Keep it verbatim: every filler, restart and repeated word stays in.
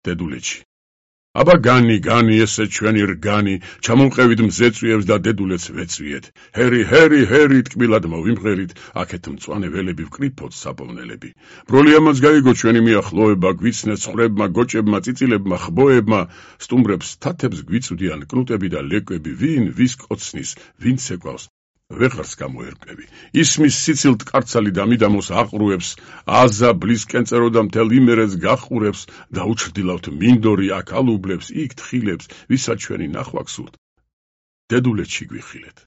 დედულეთში. აბა განი, განი, ესე ჩვენი რგანი, ჩამოვყევით მზეწვიებს და დედულეთს ვეწვიეთ. ჰერი, ჰერი, ჰერი, ტკბილად მოვიმღერით, აქეთ მწვანე ველები ვკრიფოთ საპოვნელები. ბროლიამაც გაიგო ჩვენი მიახლოება, გვიცნეს ხრებმა, გოჭებმა, წიწილებმა, ხბოებმა, სტუმრებს, თათებს გვიწვდიან კნუტები და ლეკვები, ვინ, ვის კოცნის, ვინც ეკვავს. ვეღარს გამოერკვევი. ისმის სიცილთ კარცალი და მიდამოს აყრუებს, აზა ბლისკენ წეროდა მთელ იმერეთს გახურებს და უჩრდილავთ მინდორი აქ ალუბლებს, იქ თხილებს, ვისაც ჩვენი ნახვა გსურთ. დედულეთში გვიხილეთ.